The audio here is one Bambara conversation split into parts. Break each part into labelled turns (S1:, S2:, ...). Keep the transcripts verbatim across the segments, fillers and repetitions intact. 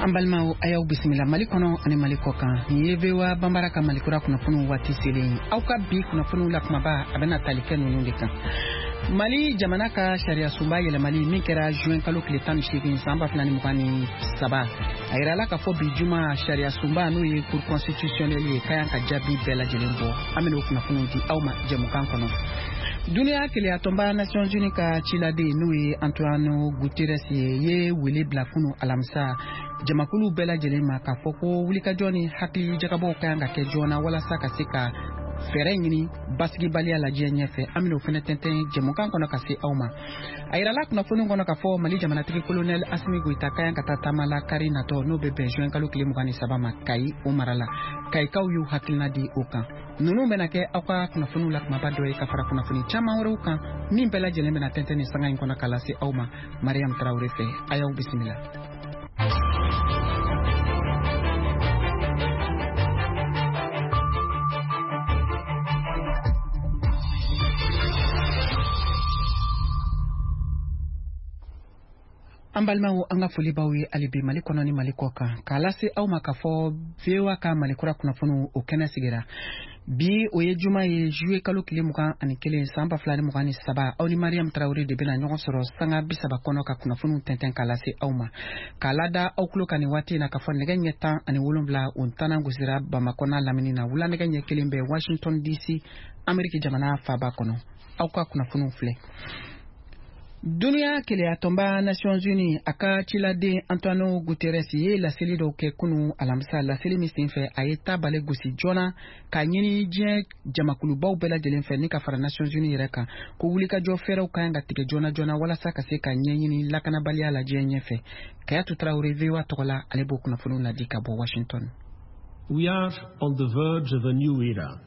S1: An balimaw, a y'aw bisimila Mali kɔnɔ ani Mali kɔ kan. Nin ye V O A Banbara ka Malikura kunnafoniw waati selen ye. Aw ka bi kunnafoniw la kumaba, a bɛna tali kɛ ninnu de kan: Mali jamana ka sariya sunba yɛlɛmali min kɛra juin kalo tile tan ni seegin san ba fila ni mugan ni saba, a yirala k'a fɔ bi juma sariya sunba, n'o ye Cour constitutionnelle ye, ka yan ka jaabi bɛɛ lajɛlen bɔ. An bɛna o kunnafoniw di aw ma jɛmukan kɔnɔ. Duniya kelenyatɔnba Nations Unies ka ciladen, n'o ye Antonio Guterres ye, ye wele bila kunu alamisa jamakulu bɛɛ lajɛlen ma k'a fɔ ko wulikajɔ ni hakili jagabɔw ka kan ka kɛ joona walasa ka se ka fɛɛrɛ ɲini basigibaliya la diɲɛ ɲɛfɛ. An bɛn'o fɛnɛ tɛntɛn jɛmukan kɔnɔ ka se aw ma. A yirala kunnafoni kɔnɔ k'a fɔ Mali jamanatigi Kolonɛl Asimi Goyita ka yan ka taa taama la kari natɔ, n'o bɛ bɛn juin kalo tile mugan ni saba ma, Kayi o mara la. Kayikaw y'u hakilina di o kan. Ninnu bɛna kɛ aw ka kunnafoniw la kumaba dɔ ye, ka fara kunnafoni caman wɛrɛw kan min bɛɛ lajɛlen bɛna tɛntɛn nin sanga in kɔnɔ ka lase aw ma Mariam Tarawele fɛ. A y'aw bisimila. An balimaw, an ka foli b'aw ye hali bi Mali kɔnɔ ni Mali kɔ kan, k'a lase aw ma k'a fɔ V O A ka Malikura kunnafoniw o kɛnɛ sigira bi. O ye juma ye, juillet kalo tile mugan ani kelen san ba fila ni mugan ni saba. Aw ni Mariam Tarawele de bɛna ɲɔgɔn sɔrɔ sanga bi saba kɔnɔ ka kunnafoniw tɛntɛn k'a lase aw ma. K'a lada aw tulo kan nin waati in na k'a fɔ nɛgɛ ɲɛ tan ani wolonwula o ntanan gosira Bamakɔ n'a lamini na, wula nɛgɛ ɲɛ kelen bɛ Washington D C, Ameriki jamana faaba kɔnɔ. Aw ka kunnafoniw filɛ: Duniya kelenyatɔnba Nations Unies, a ka ciladen Antonio Guterres ye laseli dɔw kɛ kunu alamisa. Laseli min senfɛ, a ye tabale gosi joona k'a ɲini diɲɛ jamakulubaw bɛɛ lajɛlen fɛ, ni ka fara Nations Unies yɛrɛ kan, ko wulikajɔ fɛɛrɛw ka kan ka tigɛ joona joona walasa ka se ka ɲɛɲini lakanabaliya la diɲɛ ɲɛfɛ. Kayatu Tarawele, V O A tɔgɔ la, ale b'o kunnafoniw ladi ka bɔ Washington.
S2: We are on the verge of a new era.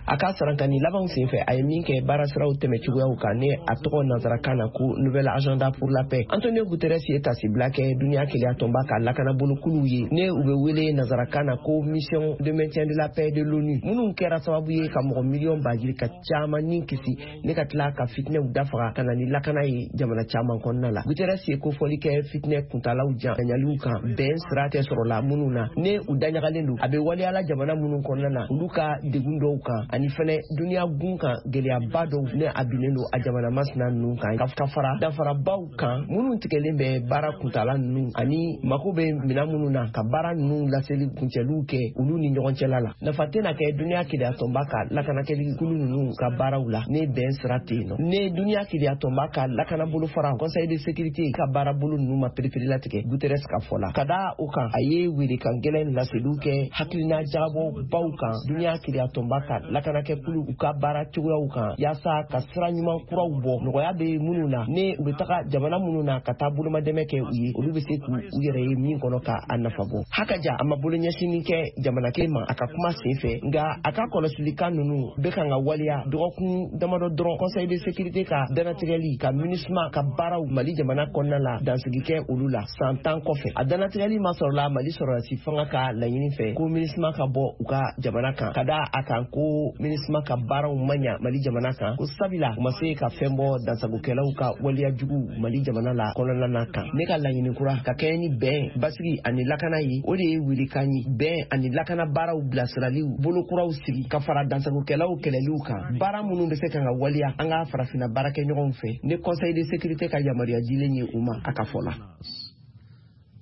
S3: A ka sarankani labanw senfɛ, a ye min kɛ baarasiraw tɛmɛ cogoyaw kan, ni a tɔgɔ nansarakan na ko Nouvel Agenda pour la paix, Antonio Guterres ye tasibila kɛ Duniya Keleya Tɔnba ka lakanabolokuluw ye, ne u bɛ wele nansarakan na ko Mission de maintien de la paix de l'ONU, minnu kɛra sababu ye ka mɔgɔ miliyɔn bajiri ka caman ni kisi, ne ka tila ka fitinɛw dafaga ka na ni lakana ye jamana caman kɔnɔna la. Guterres ye kofɔli kɛ fitinɛ kuntalaw janyaliw kan, bɛn sira tɛ sɔrɔla minnu na, ne u daɲagalen don, a bɛ waleyala jamana minnu kɔnɔna na, olu ka degun dɔw kan, ani fɛnɛ duniya gun kan gɛlɛyaba dɔw ne a binnen don a jamana masina ninnu kan, ka fara danfarabaw kan minnu tigɛlen bɛ baara kuntala ninnu ani mako bɛ minan minnu na ka baara ninnu laseli kuncɛliw kɛ olu ni ɲɔgɔn cɛla la. Nafa tɛna kɛ Duniya Keleyatɔnba ka lakanakɛli kulu ninnu ka baaraw la ne bɛn sira tɛ yen nɔ, ne Duniya Keleyatɔnba ka lakana bolofara Conseil de sécurité ka baarabolo ninnu ma pereperelatigɛ. Guterres ka fɔ la, ka da o kan, a ye welekan gɛlɛn laseliw kɛ hakilina jagabɔbaw kan Duniya Keleyatɔnba ka lakanakɛkulu u ka baara cogoyaw kan, yaasa ka sira ɲuman kuraw bɔ nɔgɔya bɛ minnu na, ne u bɛ taga jamana minnu na ka taa bolomadɛmɛ kɛ u ye, olu bɛ se k'u u yɛrɛ ye min kɔnɔ ka a nafa bɔ. Hakaja, a ma bolo ɲɛsinni kɛ jamana kelen ma a ka kuma sen fɛ, nka a ka kɔlɔsilikan ninnu bɛ kan ka waleya dɔgɔkun damadɔ dɔrɔn Conseil de sécurité ka danatigɛli ka MINUSMA ka baaraw Mali jamana kɔnɔna la dansigi kɛ olu la san tan kɔfɛ. A danatigɛli ma sɔrɔla Mali sɔrɔdasi fanga ka laɲini fɛ ko MINUSMA ka bɔ u ka jamana kan, ka da a kan ko MINUSMA ka baaraw ma ɲa Mali jamana kan, ko sabila u ma se ka fɛn bɔ dansagokɛlaw ka waleya jugu Mali jamana la kɔnɔna na kan. Ne ka laɲini kura ka kɛɲɛ ni bɛn, basigi ani lakana ye, o de ye welekan ye bɛn ani lakana baaraw bilasiraliw bolokuraw sigi ka fara dansagokɛlaw kɛlɛliw kan, baara minnu bɛ se kan ka waleya an ka farafinna baarakɛɲɔgɔnw fɛ, ni Conseil de sécurité ka yamaruya dilen ye u ma, a ka fɔ la.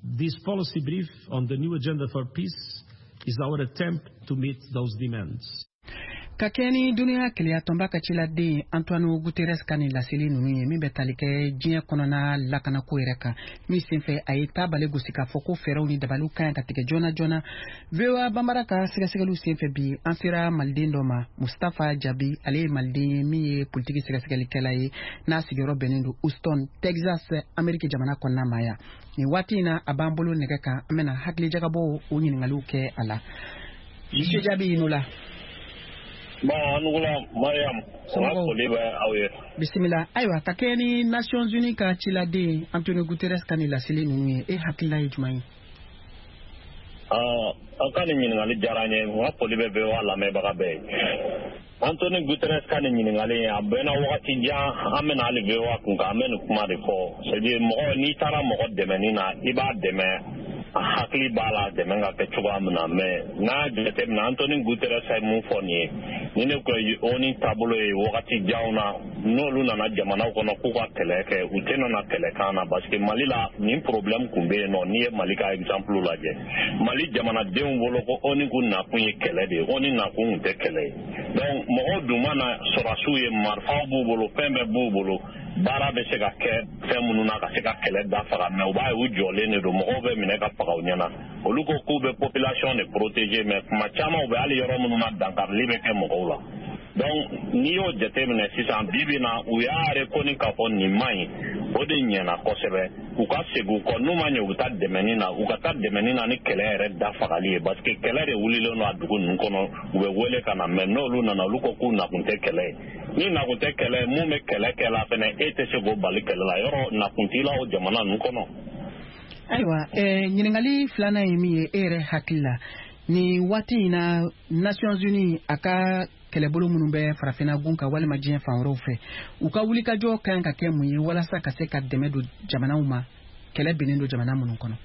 S2: This policy brief on the new agenda for peace is our attempt to meet those demands.
S1: Ka kɛ ni Duniya keleyatɔnba ka ciladen Antonio Guterres ka nin laseli ninnu ye min bɛ tali kɛ diɲɛ kɔnɔna lakanako yɛrɛ kan, min senfɛ a ye tabale gosi k'a fɔ ko fɛɛrɛw ni dabaliw ka ɲi ka tigɛ joona joona, V O A Banbara ka sɛgɛsɛgɛliw senfɛ bi, an sera maliden dɔ ma, Mustafa Jabi. Ale ye maliden ye min ye politiki sɛgɛsɛgɛlikɛla ye, n'a sigiyɔrɔ bɛnnen don Houston, Texas, Ameriki jamana kɔnɔna ma yan. Nin waati in na, a b'an bolo nɛgɛ kan. An bɛna hakilijagabɔw o ɲiningaliw kɛ a la. Monsieur Jabi, i ni la.
S4: Bon, a ni wula Mariam, n ka foli bɛ aw ye.
S1: Bisimila. Ayiwa, ka kɛ ni Nations Unies ka ciladen Antonio Guterres ka nin laseli ninnu ye, e hakilina ye jumɛn ye?
S4: Aw ka nin ɲininkali diyara n ye. N ka foli bɛ V O A lamɛnbaga bɛɛ ye. Antonio Guterres ka nin ɲininkali a bɛnna wagati jan an bɛna hali V O A kun kan, an bɛ nin kuma de fɔ. C'est à dire, mɔgɔ n'i taara mɔgɔ dɛmɛni na, i b'a dɛmɛ. A hakili b'a la dɛmɛ ka kɛ cogoya min na, mais n'a jateminɛ, Anthony Guterres ye mun fɔ nin ye, ni ne ko ONU taabolo ye wagati janw na, n'olu nana jamanaw kɔnɔ k'u ka kɛlɛ kɛ, u tɛna na kɛlɛ kan na, parce que Mali la nin problème kun bɛ yen nɔ. N'i ye Mali ka exemple lajɛ, Mali jamanadenw bolo ko ONU kun nakun ye kɛlɛ de ye, ONU nakun kun tɛ kɛlɛ ye. Donc mɔgɔw dun ma na, sɔrɔdasiw ye, marifaw b'u bolo, fɛn bɛɛ b'u bolo, baara bɛ se ka kɛ fɛn minnu na ka se ka kɛlɛ da faga, mais u b'a ye u jɔlen de don, mɔgɔw bɛ minɛ ka faga u ɲɛna. Olu ko k'u bɛ population de protéger, mais kuma caman u bɛ hali yɔrɔ minnu na, dankarili bɛ kɛ mɔgɔw la. Donc n'i y'o jateminɛ sisan, bi bi na u y'a reconnu k'a fɔ nin man ɲi, o de ɲɛna kosɛbɛ. U ka segin u kɔ, n'u ma ɲɛ, u bɛ taa dɛmɛni na, u ka taa dɛmɛni na ni kɛlɛ yɛrɛ da fagali ye, parce que kɛlɛ de wulilen don a dugu ninnu kɔnɔ, u bɛ wele ka na. Mais n'olu nana, olu ko k'u nakun tɛ kɛlɛ ye. Ni nakun tɛ kɛlɛ ye, mun bɛ kɛlɛ kɛ la fɛnɛ, e tɛ se k'o bali kɛlɛ la, yɔrɔ nakun t'i la o jamana ninnu kɔnɔ.
S1: Ayiwa, eh, ɲininkali filanan ye min ye, e yɛrɛ hakili la, nin waati in na, Nations Unies a ka kɛlɛbolo minnu bɛ farafinna gun kan walima diɲɛ fan wɛrɛw fɛ, u ka wulikajɔ kan ka kɛ mun ye walasa ka se ka dɛmɛ don jamanaw ma, kɛlɛ binnen don jamana minnu kɔnɔ?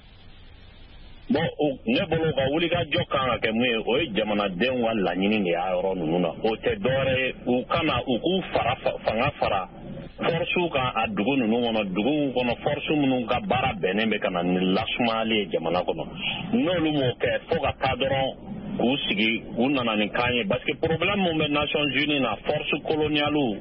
S4: Bon, ne bolo, ka wulikajɔ kan ka kɛ mun ye, o ye jamanadenw ka laɲini de y'a yɔrɔ ninnu na. O tɛ dɔwɛrɛ ye, u kana u k'u fara fanga fara force kan a dugu ninnu kɔnɔ, duguw kɔnɔ, force minnu ka baara bɛnnen bɛ ka na ni lasumayali ye jamana kɔnɔ. N'olu m'o kɛ, fo ka taa dɔrɔn k'u sigi, u nana ni kan ye, parce que problème mun bɛ Nations Unies na, force coloniale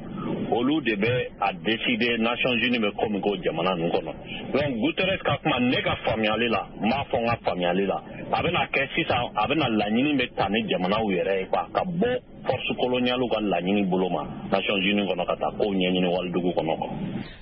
S4: olu de bɛ a décider Nations Unies bɛ ko min k'o jamana ninnu kɔnɔ. Donc Guterres ka kuma, ne ka faamuyali la, n b'a fɔ n ka faamuyali la, a bɛna kɛ sisan, a bɛna laɲini bɛ ta ni jamanaw yɛrɛ ye quoi, ka bɔ force coloniale ka laɲini bolo ma Nations Unies kɔnɔ, ka taa kow ɲɛɲini walidugu kɔnɔ quoi.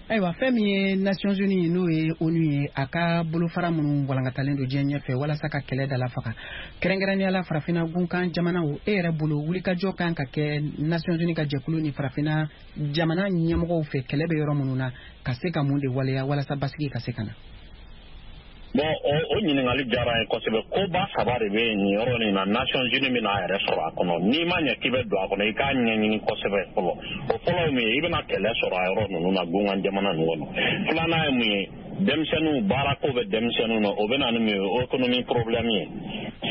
S1: Ayiwa, fɛn min ye Nations Unies, n'o ye ONU ye, a ka bolofara minnu walankatalen don diɲɛ ɲɛfɛ walasa ka kɛlɛ dala faga, kɛrɛnkɛrɛnnenya la farafinna gunkan jamanaw, e yɛrɛ bolo, wulikajɔ kan ka kɛ Nations Unies ka jɛkulu ni farafinna jamana ɲɛmɔgɔw fɛ, kɛlɛ bɛ yɔrɔ minnu na, ka se ka mun de waleya walasa basigi ka se ka na?
S4: Bon, o o ɲininkali diyara n ye kosɛbɛ. Koba saba de bɛ nin yɔrɔ nin na Nations Unies bɛna a yɛrɛ sɔrɔ a kɔnɔ. N'i ma ɲɛ k'i bɛ don a kɔnɔ, i k'a ɲɛɲini kosɛbɛ fɔlɔ. O fɔlɔ ye mun ye? I bɛna kɛlɛ sɔrɔ a yɔrɔ ninnu na, gunkan jamana ninnu kɔnɔ. Filanan ye mun ye? Denmisɛnninw, baarako bɛ denmisɛnninw na, o bɛ na ni mun ye? Économie problème ye.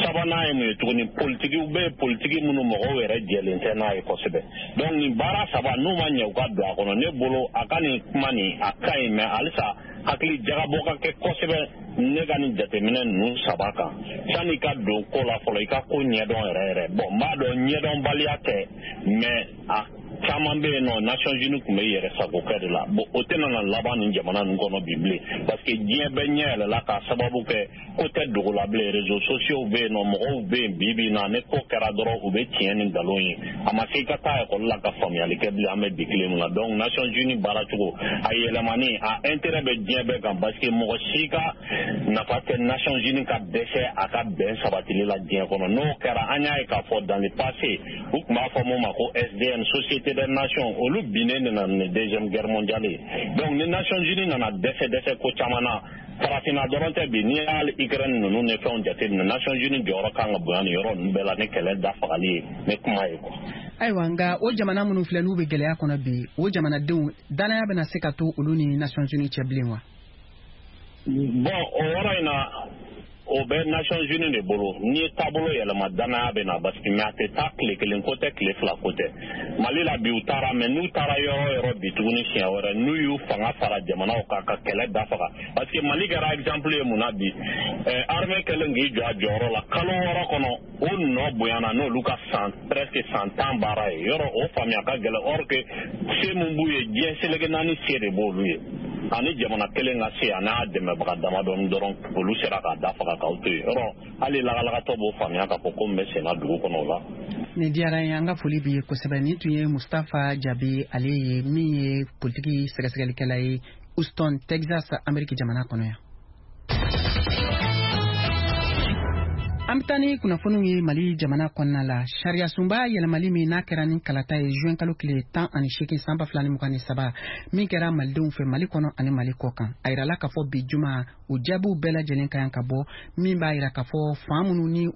S4: Sabanan ye mun ye tuguni? Politikiw bɛ yen, politiki minnu mɔgɔw yɛrɛ jɛlen tɛ n'a ye kosɛbɛ. Donc nin baara saba, n'u ma ɲɛ u ka don a kɔnɔ, ne bolo a ka nin kuma nin, a ka ɲi, mais halisa hakili jagabɔ ka kɛ kosɛbɛ ne ka nin jateminɛ ninnu saba kan. Sanni ka don ko la fɔlɔ, i ka ko ɲɛdɔn yɛrɛ yɛrɛ. Bon, n b'a dɔn ɲɛdɔnbaliya tɛ, mais a caman bɛ yen nɔ, Nations Unies tun bɛ yɛrɛ sago kɛ de la. Bon, o tɛna na laban nin jamana ninnu kɔnɔ bi bilen, parce que diɲɛ bɛɛ ɲɛ yɛlɛla k'a sababu kɛ ko tɛ dogo la bilen. Réseaux sociaux bɛ yen nɔ, mɔgɔw bɛ yen bi bi in na, ni ko kɛra dɔrɔn, u bɛ tiɲɛ ni nkalon ye. A ma se i ka taa ekɔli la ka faamuyali kɛ bilen, an bɛ bi tile min na. Donc Nations Unies baara cogo a yɛlɛmani, a intérêt bɛ diɲɛ bɛɛ kan, parce que mɔgɔ si ka nafa tɛ Nations Unies ka dɛsɛ a ka bɛn sabatili la diɲɛ kɔnɔ. N'o kɛra, an y'a ye k'a fɔ dans le passé, u tun b'a fɔ mun ma ko S D N, Société des Nations, olu binnen de nana ni deuxième guerre mondiale ye. Donc ni Nations Unies nana dɛsɛ dɛsɛ ko caman na, farafinna dɔrɔn tɛ bi, n'i y'a Ukraine ninnu ni fɛnw jateminɛ, Nations Unies jɔyɔrɔ kan ka bonya nin yɔrɔ ninnu bɛɛ la ni kɛlɛ da fagali ye, ni kuma ye quoi.
S1: Ayiwa, nka o jamana minnu filɛ, n'u bɛ gɛlɛya kɔnɔ bi, o jamanadenw danaya bɛna se ka to olu ni Nations Unies cɛ bilen wa?
S4: Bon, o yɔrɔ in na, o bɛ Nations Unies de bolo. N'i ye taabolo yɛlɛma, danaya bɛ na, parce que mais a tɛ taa tile kelen ko tɛ, tile fila ko tɛ. Mali la bi, u taara, mais n'u taara yɔrɔ o yɔrɔ bi tuguni siɲɛ wɛrɛ, n'u y'u fanga fara jamanaw kan ka kɛlɛ da faga, parce que Mali kɛra exemple ye mun na bi? ɛɛ armée kɛlen k'i jɔ a jɔyɔrɔ la, kalo wɔɔrɔ kɔnɔ, o nɔ bonyana n'olu ka san presque san tan baara ye. Yɔrɔ o faamuya ka gɛlɛn, or que se mun b'u ye, diɲɛ seleke naani se de b'olu ye, ani jamana kelen ka se a n'a dɛmɛbaga damadɔni dɔrɔn, olu sera k'a da faga k'aw to yen. Yɔrɔ hali lagalagatɔ b'o faamuya k'a fɔ ko min bɛ senna dugu kɔnɔ o la.
S1: Nin diyara n ye, an ka foli b'i ye kosɛbɛ. Nin tun ye Mustafa Jabi, ale ye min ye politiki sɛgɛsɛgɛlikɛla ye Houston, Texas, Ameriki jamana kɔnɔ yan. An bɛ taa ni kunnafoniw ye Mali jamana kɔnɔna la. Sariya sunba yɛlɛmali min n'a kɛra ni kalata ye juin kalo tile tan ani seegin san ba fila ni mugan ni saba, min kɛra malidenw fɛ Mali kɔnɔ ani Mali kɔ kan, a yirala k'a fɔ bi juma, o jaabiw bɛɛ lajɛlen ka kan ka bɔ, min b'a yira k'a fɔ fan minnu ni